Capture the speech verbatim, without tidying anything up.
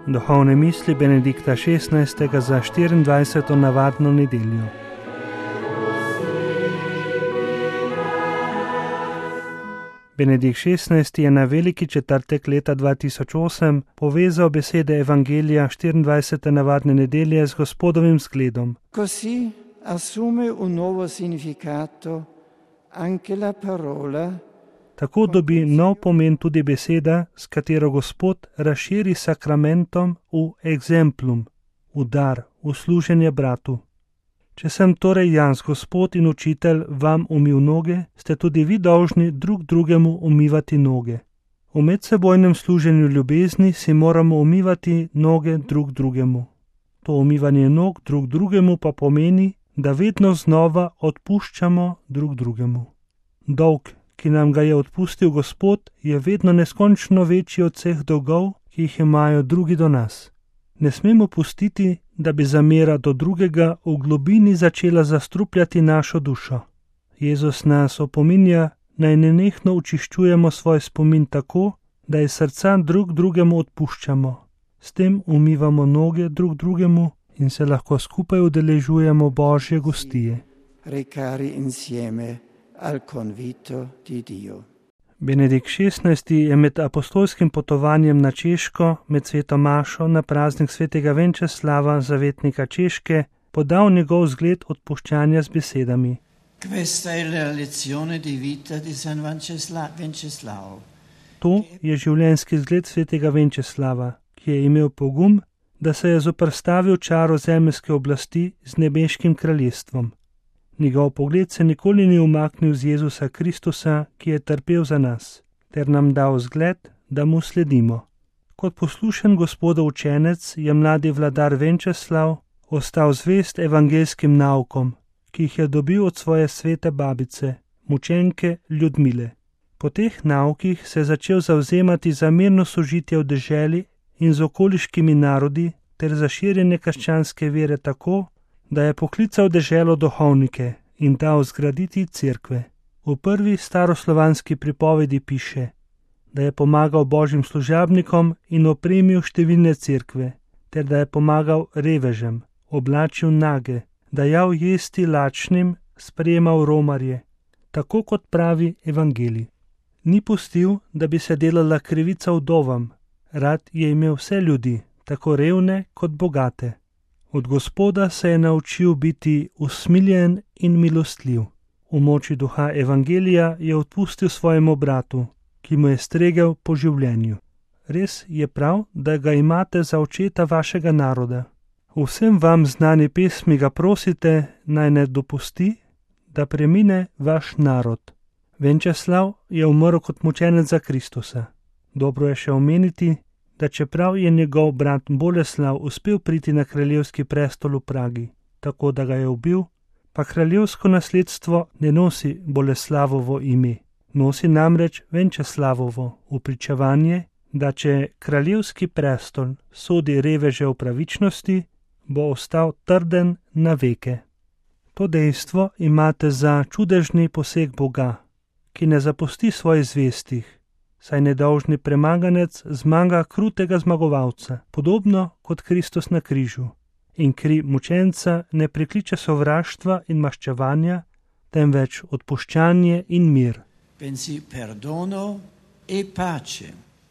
Duhovne misli Benedikta šestnajstega za štiriindvajseto navadno nedeljo. Benedikt šestnajsti je na veliki četrtek leta dva tisoč osem povezal besede Evangelija štiriindvajsete navadne nedelje z Gospodovim zgledom. Così assume un nuovo significato anche la parola. Tako dobi nov pomen tudi beseda, s katero Gospod razširi sakramentom v exemplum, v dar, v služenje bratu. Če sem torej jaz, Gospod in učitelj, vam umil noge, ste tudi vi dolžni drug drugemu umivati noge. V medsebojnem služenju ljubezni si moramo umivati noge drug drugemu. To umivanje nog drug drugemu pa pomeni, da vedno znova odpuščamo drug drugemu. Dolg, ki nam ga je odpustil Gospod, je vedno neskončno večji od vseh dolgov, ki jih imajo drugi do nas. Ne smemo pustiti, da bi zamera do drugega v globini začela zastrupljati našo dušo. Jezus nas opominja, naj nenehno očiščujemo svoj spomin tako, da iz srca drug drugemu odpuščamo. S tem umivamo noge drug drugemu in se lahko skupaj udeležujemo Božje gostije. Recari insieme al convito di Dio. Benedikt šestnajsti je med apostolskim potovanjem na Češko, med sveto mašo na praznik svetega Venčeslava, zavetnika Češke, podal njegov zgled odpuščanja z besedami. Questa è la lezione di vita di San Venceslao. To je življenjski zgled svetega Venčeslava, ki je imel pogum, da se je zoperstavil čaru zemeljske oblasti z nebeškim kraljestvom. Njegov pogled se nikoli ni umaknil z Jezusa Kristusa, ki je trpel za nas, ter nam dal zgled, da mu sledimo. Kot poslušen Gospodov učenec je mladi vladar Venčeslav ostal zvest evangeljskim naukom, ki jih je dobil od svoje svete babice, mučenke Ljudmile. Po teh naukih se je začel zavzemati za mirno sožitje v deželi in z okoliškimi narodi ter za širjenje krščanske vere tako, da je poklical deželo duhovnike in dal zgraditi cerkve. V prvi staroslovanski pripovedi piše, da je pomagal božjim služabnikom in opremil številne cerkve, ter da je pomagal revežem, oblačil nage, dajal jesti lačnim, sprejemal romarje, tako kot pravi evangelij. Ni pustil, da bi se delala krivica vdovam, rad je imel vse ljudi, tako revne kot bogate. Od Gospoda se je naučil biti usmiljen in milostljiv. V moči duha evangelija je odpustil svojemu bratu, ki mu je stregel po življenju. Res je prav, da ga imate za očeta vašega naroda. V vsem vam znani pesmi ga prosite, naj ne dopusti, da premine vaš narod. Venčeslav je umrl kot mučenec za Kristusa. Dobro je še omeniti, da čeprav je njegov brat Boleslav uspel priti na kraljevski prestol v Pragi, tako da ga je ubil, pa kraljevsko nasledstvo ne nosi Boleslavovo ime, nosi namreč Venčeslavovo upričevanje, da če kraljevski prestol sodi reveže v pravičnosti, bo ostal trden na veke. To dejstvo imate za čudežni poseg Boga, ki ne zapusti svojih zvestih, saj nedolžni premaganec zmaga krutega zmagovalca, podobno kot Kristus na križu. In kri mučenca ne prikliče sovraštva in maščevanja, temveč odpuščanje in mir. Pensi perdono e pace.